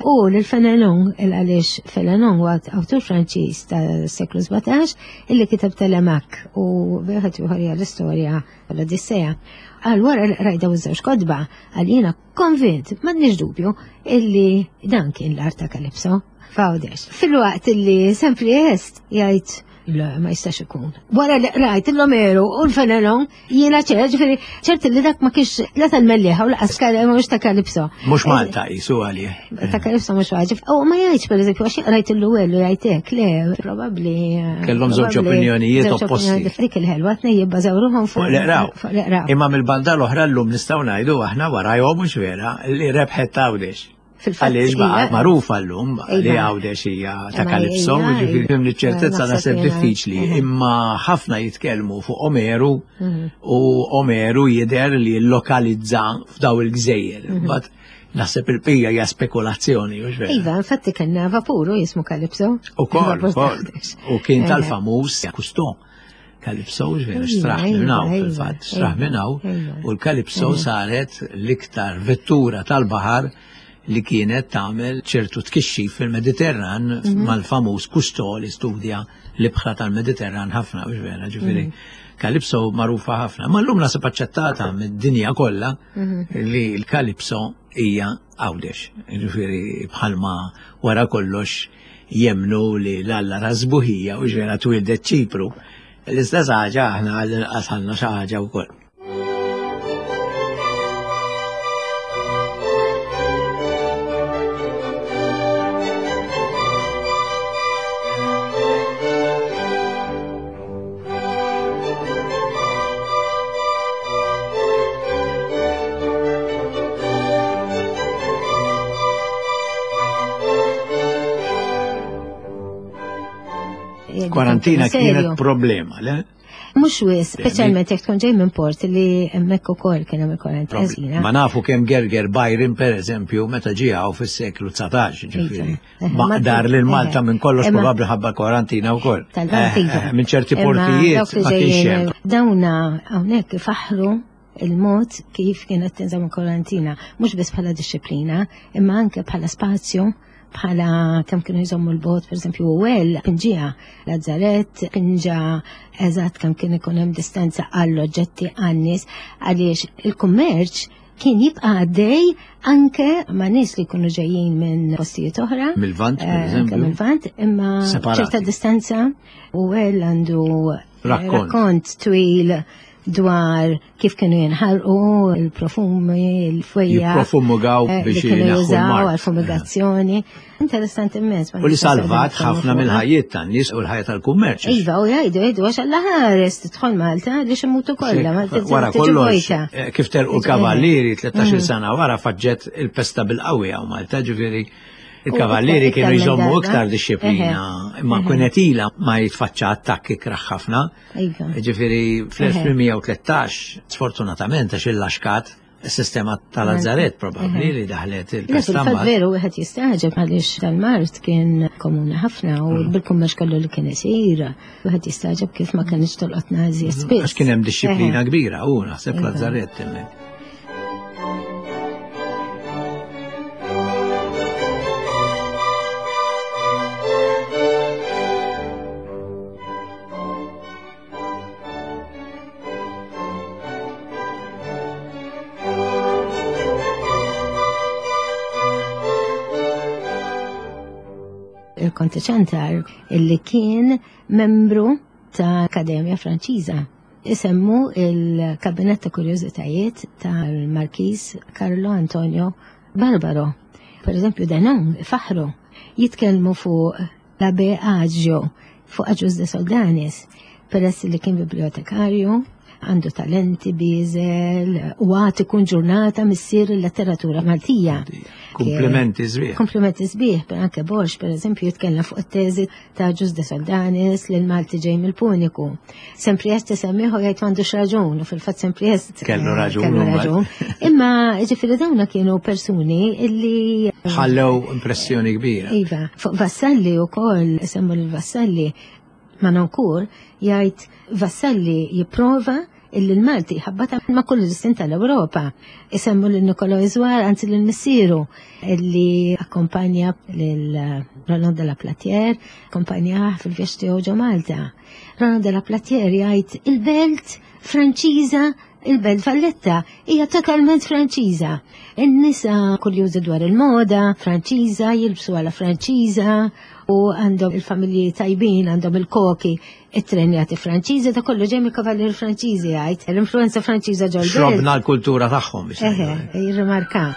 U l-Fenelon, il-għaliex Fenelon huwa awtur Franċiż tas-seklu sbatax illi kiteb Telemaque u wieħed ieħor hija l-istorja l-Odissea. Għal wara rajda u żewġ kotba, għal jiena konvint, m'għandniex dubju, illi dan kien l-art ta' Kalipso f'Għawdex. Fil-waqt illi Saint-Priest jgħid le, ma jistax ikun. Wara li rajt l-Omeru u l-Fenelon, jiena ċert, ġifieri ċert li dak ma kienx la tal-Mellieħa u laqas mhux ta' Kalipso. Mhux Malta jisu għalih. Ta' Kalipso mhux għaġib. U ma jgħidx pereżempju għax rajt il-Luwellu jgħid hekk, le, probabbli. Kellhom żewġ opinjonijiet opposti. Dik il-ħelwa tnejn jibbażaw ruħhom fuq l-iqraw. Imma mill-banda l-oħra llum nistgħu ngħidu aħna warajhom mhux vera li rebħet Għawdex. Għaliex baqa magħrufa llum li Għawdex hija ta' Kalipso, jiġifieri minn ċertezza naħseb diffiċli, imma ħafna jitkellmu fuq Omeru u Omeru jidher li lokalizza f'daw il-gżejjer. But naħseb il-pija hija spekulazzjoni, mhux vera. Iva, infatti kellna vapuru jismu Kalipso. Ukoll, ukoll. U kien tal-famuż Cousteau. Kalipso, ġvera, xtraħ minnaw, fil-fatt, xtraħ minnaw, u l-Kalipso saret l-iktar vettura tal-baħar li kienet tagħmel ċertu tkixxif fil-Mediterran mal-famuż Cousteau li studja l-ibħra tal-Mediterran ħafna, mhux vera, ġifieri Kalipso magħrufa ħafna. Ma llum nasib aċċettata mid-dinja kollha li l-Kalipso hija Għawdex. Ġifieri bħalma wara kollox jemnu li l-Alla rasbuħija u ġvera twildet Ċipru. L-istess ħaġa aħna għall-inqas għandna xi ħaġa wkoll. Kwarantina kienet problema, le? Mhux wis, speċjalment jekk tkun ġej minn port li hemmhekk ukoll kien hemm il-kwarantina. Ma nafu kemm gerger Byron pereżempju meta ġie hawn fis-seklu dsatax, ġifieri. Maqdar lil Malta minn kollox probabbli ħabba kwarantina wkoll. Minn ċerti portijiet ma kienx hemm. Dawna hawnhekk ifaħħru il-mod kif kienet tinżamm il-kwarantina, mhux biss bħala disċiplina, imma anke bħala spazju, bħala kemm kienu jżommu l-bot, per eżempju, u għel, pinġija, Lazzaret, pinġa eżatt kemm kien ikun hemm distanza għall-oġġetti għan-nies, għaliex il-kummerċ kien jibqa' għaddej anke ma' nies li jkunu ġejjin minn postijiet oħra. Mill-Lvant, per eżempju. Mill-Lvant, imma ċerta distanza u għel għandu rakkont twil dwar kif kienu jinħarqu il-profumi, il-fwejja. Jipprofumigaw biex jużaw għal-fumigazzjoni. Interessanti immens. U li salvat ħafna mill-ħajjiet tan-nies u l-ħajja tal-kummerċ. Iva, u jgħidu, jgħidu, għax Alla ħares tidħol Malta li ximmutu kollha. Wara kollox, kif telqu l-kavallieri tlettax-il sena wara faġġet il-pesta bil-qawwi hawn Malta, ġifieri il-kavallieri kienu jżommu iktar disċiplina, imma kienet ilha ma jitfaċċa attakki kraħ ħafna. Ġifieri fl-elf tmien u tlettax, sfortunatament għax il-laxkat is-sistema tal-Lazzaret probabbli li daħlet il-pesta. Fil-fatt veru wieħed jistaġeb għaliex tal-Mart kien komuni ħafna u bil-kummerċ kollu li kien isir, wieħed jistaġeb kif ma kienx tolqotna iżjed spiss. Għax kien hemm disċiplina kbira u naħseb Lazzaret hemmhekk. Il-Konte Ċantar illi kien membru ta' Akademja Franċiża. Isemmu il-Kabinett ta' Kurjożitajiet tal-Markiż Carlo Antonio Barbaro. Per eżempju, Denon faħru jitkellmu fuq l-Abbé Aggio, fuq Agius de Soldanis, peress li kien bibliotekarju, għandu talenti biżel, u għad ikun ġurnata missier il-letteratura Maltija. Komplimenti sbieħ. Komplimenti sbieħ, per anke Borx, per eżempju, jitkellem fuq it-teżi ta' Agius de Soldanis li l-Malti ġej mill-Puniku. Saint-Priest isemmiħu jgħid m'għandux raġun, u fil-fatt Saint-Priest kellu raġun. Imma ġifieri dawna kienu persuni illi ħallew impressjoni kbira. Iva, fuq Vassalli wkoll, semmu l-Vassalli, Manoncourt jgħid Vassalli jipprova illi l-Malti ħabbata ma' kull l-istin tal-Ewropa. Isemmu lil Niccolo Isouard, anzi lil missieru illi akkompanja lil Roland de la Platière, akkompanjah fil-vjaġġ tiegħu ġo Malta. Roland de la Platière jgħid il-belt Franċiża, il-belt Valletta hija totalment Franċiża. In-nisa kurjużi dwar il-moda Franċiża, jilbsu għala Franċiża u għandhom il-familji tajbin, għandhom il-koki, it-trenjati Franċiżi, da kollu ġej mill-kavallieri Franċiżi jgħid. L-influenza Franċiża ġol. Xrobna l-kultura tagħhom biex. Eħe, jirrimarka.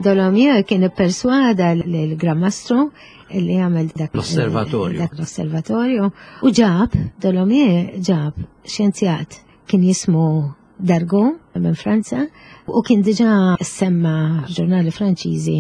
Dolomieu kien ipperswada l-Gran Mastru li għamel dak l-osservatorju. Dak l-osservatorju. U ġab, Dolomieu ġab xjenzjat kien jismu Dargo minn Franza u kien diġà semma ġurnali Franċiżi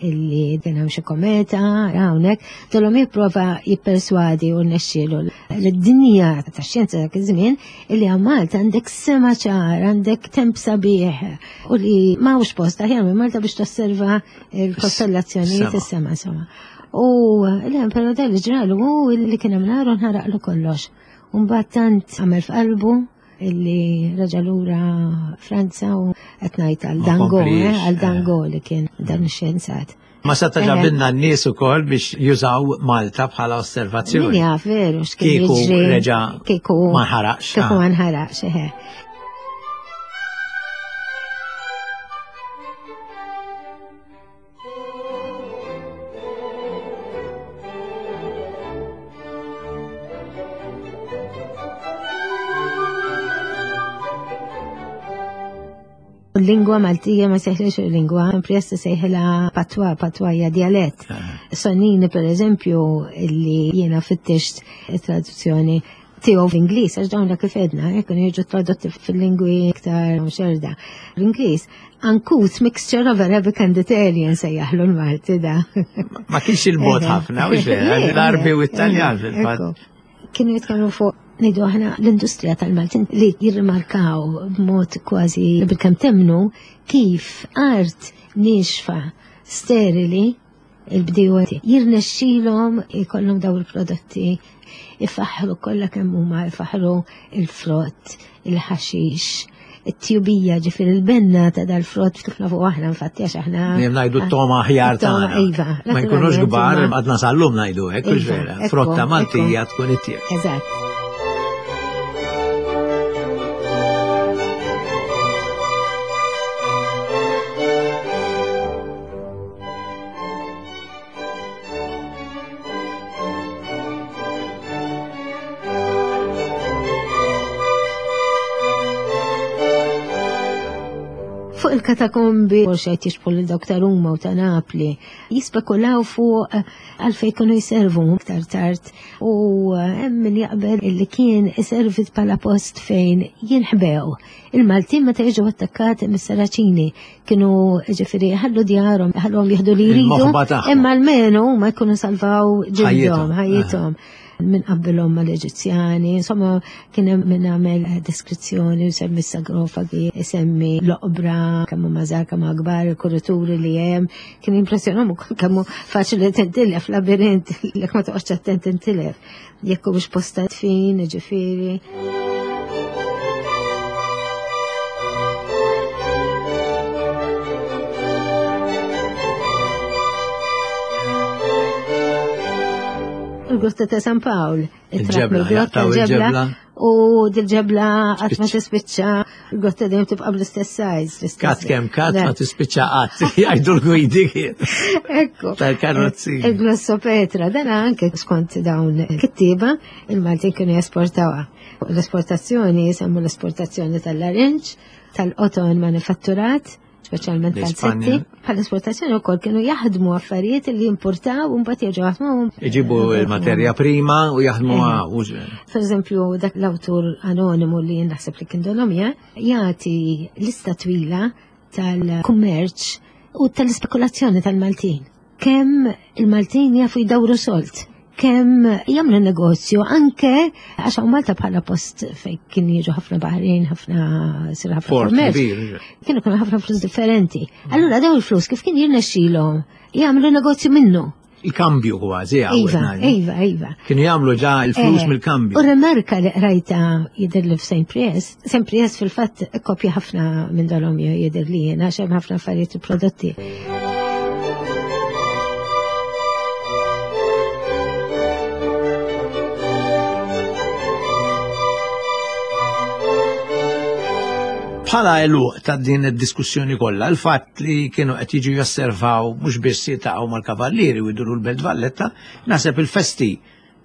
illi kien hemm xi kometa hawnhekk. Dolomieu prova jipperswadi u rnexxielu l-dinja tax-xjenza dak iż-żmien illi hawn Malta għandek sema ċar, għandek temp sabiħ u li m'hawnx post aħjar minn Malta biex tosserva l-kostellazzjonijiet is-sema insomma. U l-Emperor li ġralu hu li kien hemm nar u nħaraqlu kollox. U mbagħad tant għamel f'qalbu illi raġa lura Franza u qed ngħid għal Dango, għal Dango li kien dan ix-xjenzat. Ma seta ġabilna n-nies ukoll biex jużaw Malta bħala osservazzjoni. Min jaf veru x'kien jiġri. Reġa' kieku ma nħaraqx. Kieku ma nħaraqx, eħe. Lingwa Maltija ma sejħilx il-lingwa, impressa sejħilha patwa, patwa hija dialett. Sonnini per eżempju illi jiena fittixt traduzzjoni tiegħu fl-Ingliż, għax dawn kif edna, kienu jiġu tradotti fil-lingwi iktar xerda. L-Ingliż, uncouth mixture of Arabic and Italian sejjaħlu l-Malti da. Ma kienx il-mod ħafna, u l-Arbi u Italjan fil-fatt. Kienu jitkellmu fuq ngħidu aħna l-industrija tal-Maltin li jirrimarkaw b'mod kważi bil-kemm temnu kif art nixfa sterili il-bdiewa jirnexxilhom ikollhom daw il-prodotti ifaħħru kollha kemm huma ifaħħru il-frott, il-ħaxix, it-tjubija ġifieri il-benna ta' dal-frott kif nafu aħna infatti għax aħna. Dejjem ngħidu t-toma aħjar tagħna. Iva. Ma jkunux kbar għadna sal-lum ngħidu hekk, hux vera. Frotta Maltija tkun it-tjeb. Eżatt. Fuq il-katakombi, forsi qed jixbħu lil dawk ta' Ruma u ta' Napli, jispekulaw fuq għalfejn kienu jservu iktar tard u hemm min jaqbel illi kien iservit bħala post fejn jinħbew. Il-Maltin meta jiġu attakkati mis-Saraċini kienu ġifieri ħallu djarhom, ħalluhom jieħdu li jridu, imma almenu ma jkunu salvaw ġildhom, ħajjithom. Min qabbilhom mal-Eġizzjani, insomma kien hemm min għamel deskrizzjoni u semmi s-sagrofagi, semmi l-oqbra, kemm huma żgħar, kemm akbar, il-kurituri li hemm, kien impressjonahom ukoll kemm hu faċli tintilef labirint, jekk ma toqgħodx attent tintilef. Jekk hu biex posta tfin, ġifieri. Il-grotta ta' San Pawl, il-ġebla, il-ġebla, u dil-ġebla qatt ma tispiċċa, il-grotta dejjem tibqa' bl-istess size. Kat kemm kat ma tispiċċa qatt, jgħidu l-gwidi kien. Ekku. Tal-karozzi. Il-Glossopetra, dan anke skont dawn kittieba, il-Maltin kienu jesportawha. L-esportazzjoni, jisemmu l-esportazzjoni tal-larinġ, tal-qoton manifatturat, speċjalment tal-setti. Bħal esportazzjoni wkoll kienu jaħdmu affarijiet li jimportaw u mbagħad jerġgħu jaħdmuhom. Iġibu l-materja prima u jaħdmuha. Per eżempju, dak l-awtur anonimu li naħseb li kien Dolomieu jagħti lista twila tal-kummerċ u tal-ispekulazzjoni tal-Maltin. Kemm il-Maltin jafu jdawru solt, kemm jagħmlu negozju anke għax hawn Malta bħala post fejn kien jiġu ħafna baħrin, ħafna sir ħafna kummerċ. Kienu kienu ħafna flus differenti. Allura dawn il-flus kif kien jirnexxilhom jagħmlu negozju minnu. Il-kambju kważi Iva, iva, iva. Kienu jagħmlu ġa il-flus mill-kambju. U remarka li qrajta jidher li f'Saint Priest, Saint Priest fil-fatt kopja ħafna minn Dolomio jidher li jiena għax hemm ħafna affarijiet u prodotti. Bħala eluq ta' din id-diskussjoni kollha, il-fatt li kienu qed jiġu josservaw mhux biss jiltaqgħu mal-kavallieri u jduru l-Belt Valletta, naħseb il-festi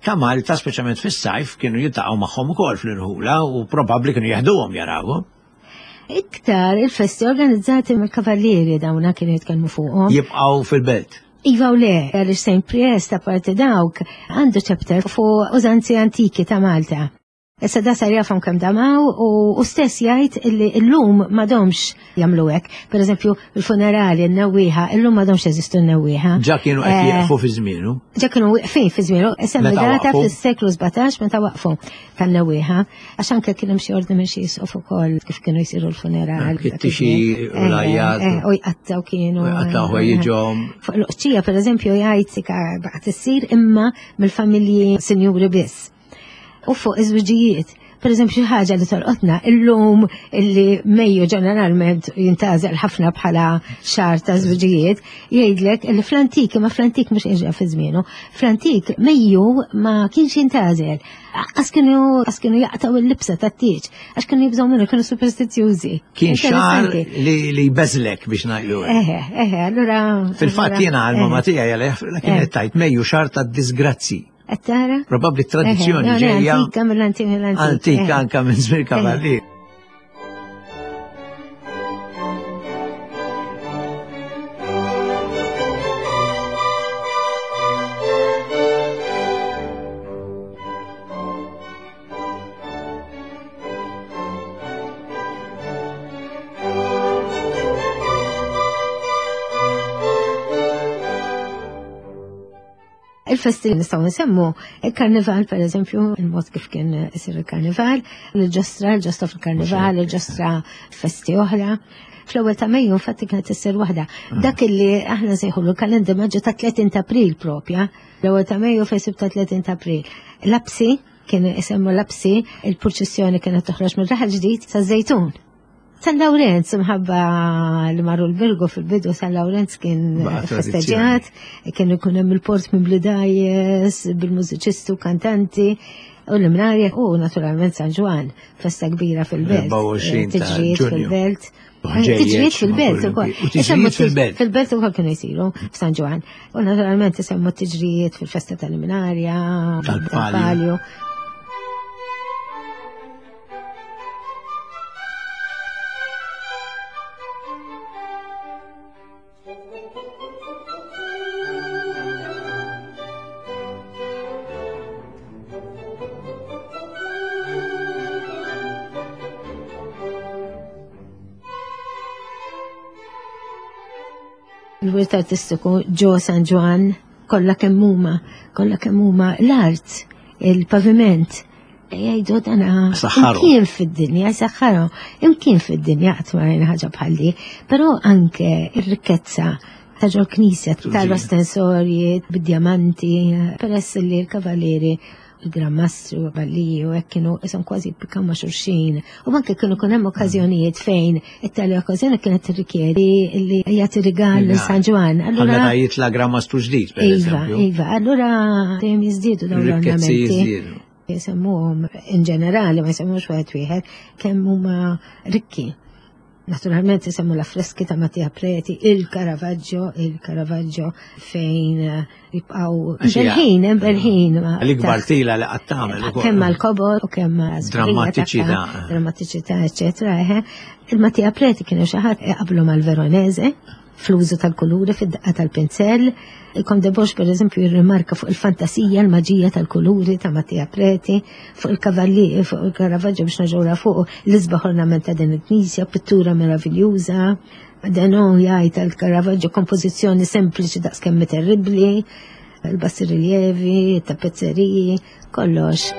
ta' Malta, speċjalment fis-sajf, kienu jiltaqgħu magħhom ukoll fl-irħula u probabbli kienu jeħduhom jarawhom. Iktar il-festi organizzati mill-kavallieri dawna kienu jitkellmu fuqhom. Jibqgħu fil-belt. Iva u le, għaliex Saint Priest apparti dawk għandu chapter fuq użanzi antiki ta' Malta. Issa da sar jafhom kemm damaw u stess jgħid illi llum m'għadhomx jagħmlu hekk. Pereżempju il-funerali, n-nawwieħa, illum m'għadhomx jeżistu n-nawwieħa. Ġa kienu qed jieqfu fi żmienu. Ġa kienu wieqfin fi żmienu, semmi data fis-seklu sbatax meta waqfu tan-nawwieħa, għax anke kien hemm xi ordni minn xi jisqof ukoll kif kienu jsiru l-funerali. Kittixi u lajjat. U jqattaw kienu. U jqattaw ħwejjiġhom. Fuq l-oqċija pereżempju jgħid sika baqgħet issir imma mill-familji sinjuri biss. U fuq iż-żwiġijiet. Per eżempju, xi ħaġa li tolqotna illum illi Mejju ġeneralment jintażel ħafna bħala xahar ta' żwiġijiet, jgħidlek illi fl-antik, ma fl-antik mhux qiegħda fi żmienu, fl-antik Mejju ma kienx jintażel. Għax kienu għax kienu jaqtgħu l-libsa tat-tieġ, għax kienu jibżgħu minnu, kienu superstizzjużi. Kien xahar li jbeżlek biex ngħidu. Eħe, eħe, allura. Fil-fatt jiena għall-mamma tiegħi għalih kienet tajt Mejju xahar tad-disgrazzi. Attara? Probabbli tradizzjoni ġejja. Antika mill-antik mill-antik. Antika anka minn żmien kavallier. Il-festi li nistgħu nsemmu, il-karnival per eżempju, il-mod kif kien isir il-karnival, il-ġostra, il-ġostra fil-karnival, il-ġostra festi oħra. Fl-ewwel ta' Mejju infatti kienet issir waħda. Dak illi aħna nsejħulu l-kalendar maġġu ta' tletin ta' April propja, l-ewwel ta' Mejju fejn sib ta' tletin ta' April. Lapsi, kien isemmu lapsi, il-purċissjoni kienet toħroġ mir-Raħal Ġdid sa' Żejtun. San Lawrenz, mħabba li marru l-Birgu fil-bidu, San Lawrenz kien festeġġjat, kien ikun hemm il-port minn blidajes, bil-mużiċisti u kantanti, u l-Imnarja, u naturalment San Ġwann, festa kbira fil-belt. Tiġrijiet fil-belt. Tiġrijiet fil-belt ukoll. Tiġrijiet fil-belt. Fil-belt ukoll kienu jsiru f'San Ġwann. U naturalment isemmu tiġrijiet fil-festa tal-Imnarja, tal-Palju. Il-wirt artistiku ġo San Ġwann, kollha kemm huma, kollha kemm huma l-art, il-paviment. Jgħidu dana imkien fid-dinja, saħħarhom, imkien fid-dinja qatt ma rajna ħaġa bħal di, però anke r-rikkezza ta' ġol knisja, tal-ostensorji, bid-djamanti, peress li l-kavallieri, il-Gran Mastru, Balliju, hekk kienu isom kważi jippikaw ma' xulxin. U anke kienu kun hemm okkażjonijiet fejn it-tali okkażjoni kienet tirrikjedi li jagħti rigal lil San Ġwann. Allura meta jitla' Gran Mastru ġdid, pereżempju. Iva, iva, allura dejjem jiżdiedu dawn l-ornamenti. Jisemmuhom in ġenerali, ma jsemmuhomx wieħed wieħed, kemm huma rikki. Naturalment isemmu l-affreski ta' Mattia Preti, il-Caravaggio, il-Caravaggio fejn jibqgħu berħin, berħin. L-ikbar tila li qatt tagħmel ukoll. Kemm mal-kobor u kemm drammatiċità, drammatiċità, eċetera. Il-Mattia Preti kienu xi ħadd iqablu mal-Veronese fl-użu tal-kuluri, fid-daqqa tal-pinzell. Il-Conte Bosch, per eżempju, jirrimarka fuq il-fantasija, l-maġija tal-kuluri ta' Mattia Preti, fuq il-kavalli, fuq il-Caravaggio biex naġura fuq l-isbaħ ornament ta' din il-knisja, pittura meraviljuża. Denon jgħid tal-Caravaggio kompożizzjoni sempliċi daqskemm terribbli, il-bassi rilievi, tapezzeriji, kollox.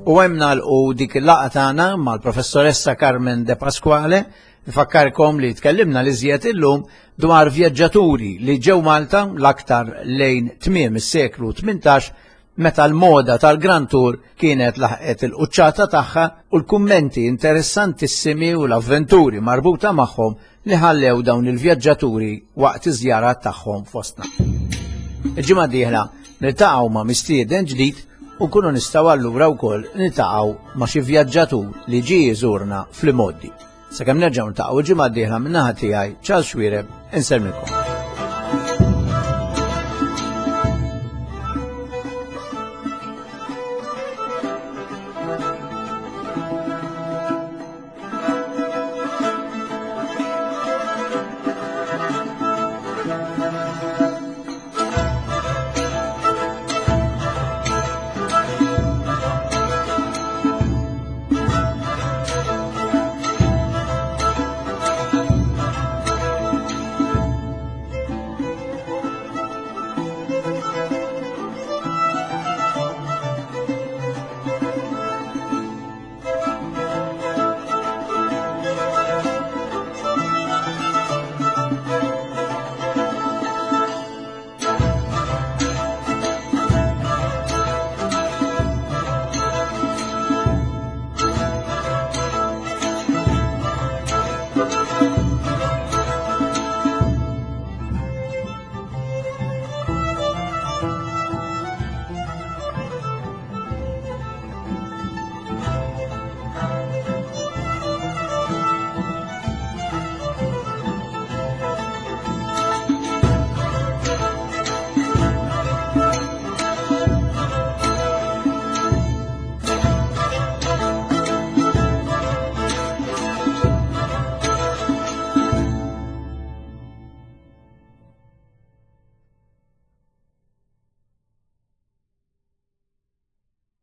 U hemm nagħlqu dik il-laqgħa tagħna mal-professoressa Carmen De Pasquale. Nfakkarkom li tkellimna li żjed illum dwar vjaġġaturi li ġew Malta l-aktar lejn tmiem is-seklu tmintax meta l-moda tal-Grand Tour kienet laħqet il-quċċata tagħha u l-kummenti interessantissimi u l-avventuri marbuta magħhom li ħallew dawn il-vjaġġaturi waqt iż-żjarat tagħhom fostna. Il-ġimgħa d-dieħla niltaqgħu ma' mistieden ġdid u nkunu nistgħu allura wkoll niltaqgħu ma' xi vjaġġatur li ġie jżurna fl-imgħoddi. Sakemm nerġgħu niltaqgħu il-ġimgħa d-dieħla min-naħa tiegħi Charles Xuereb, insellmilkom.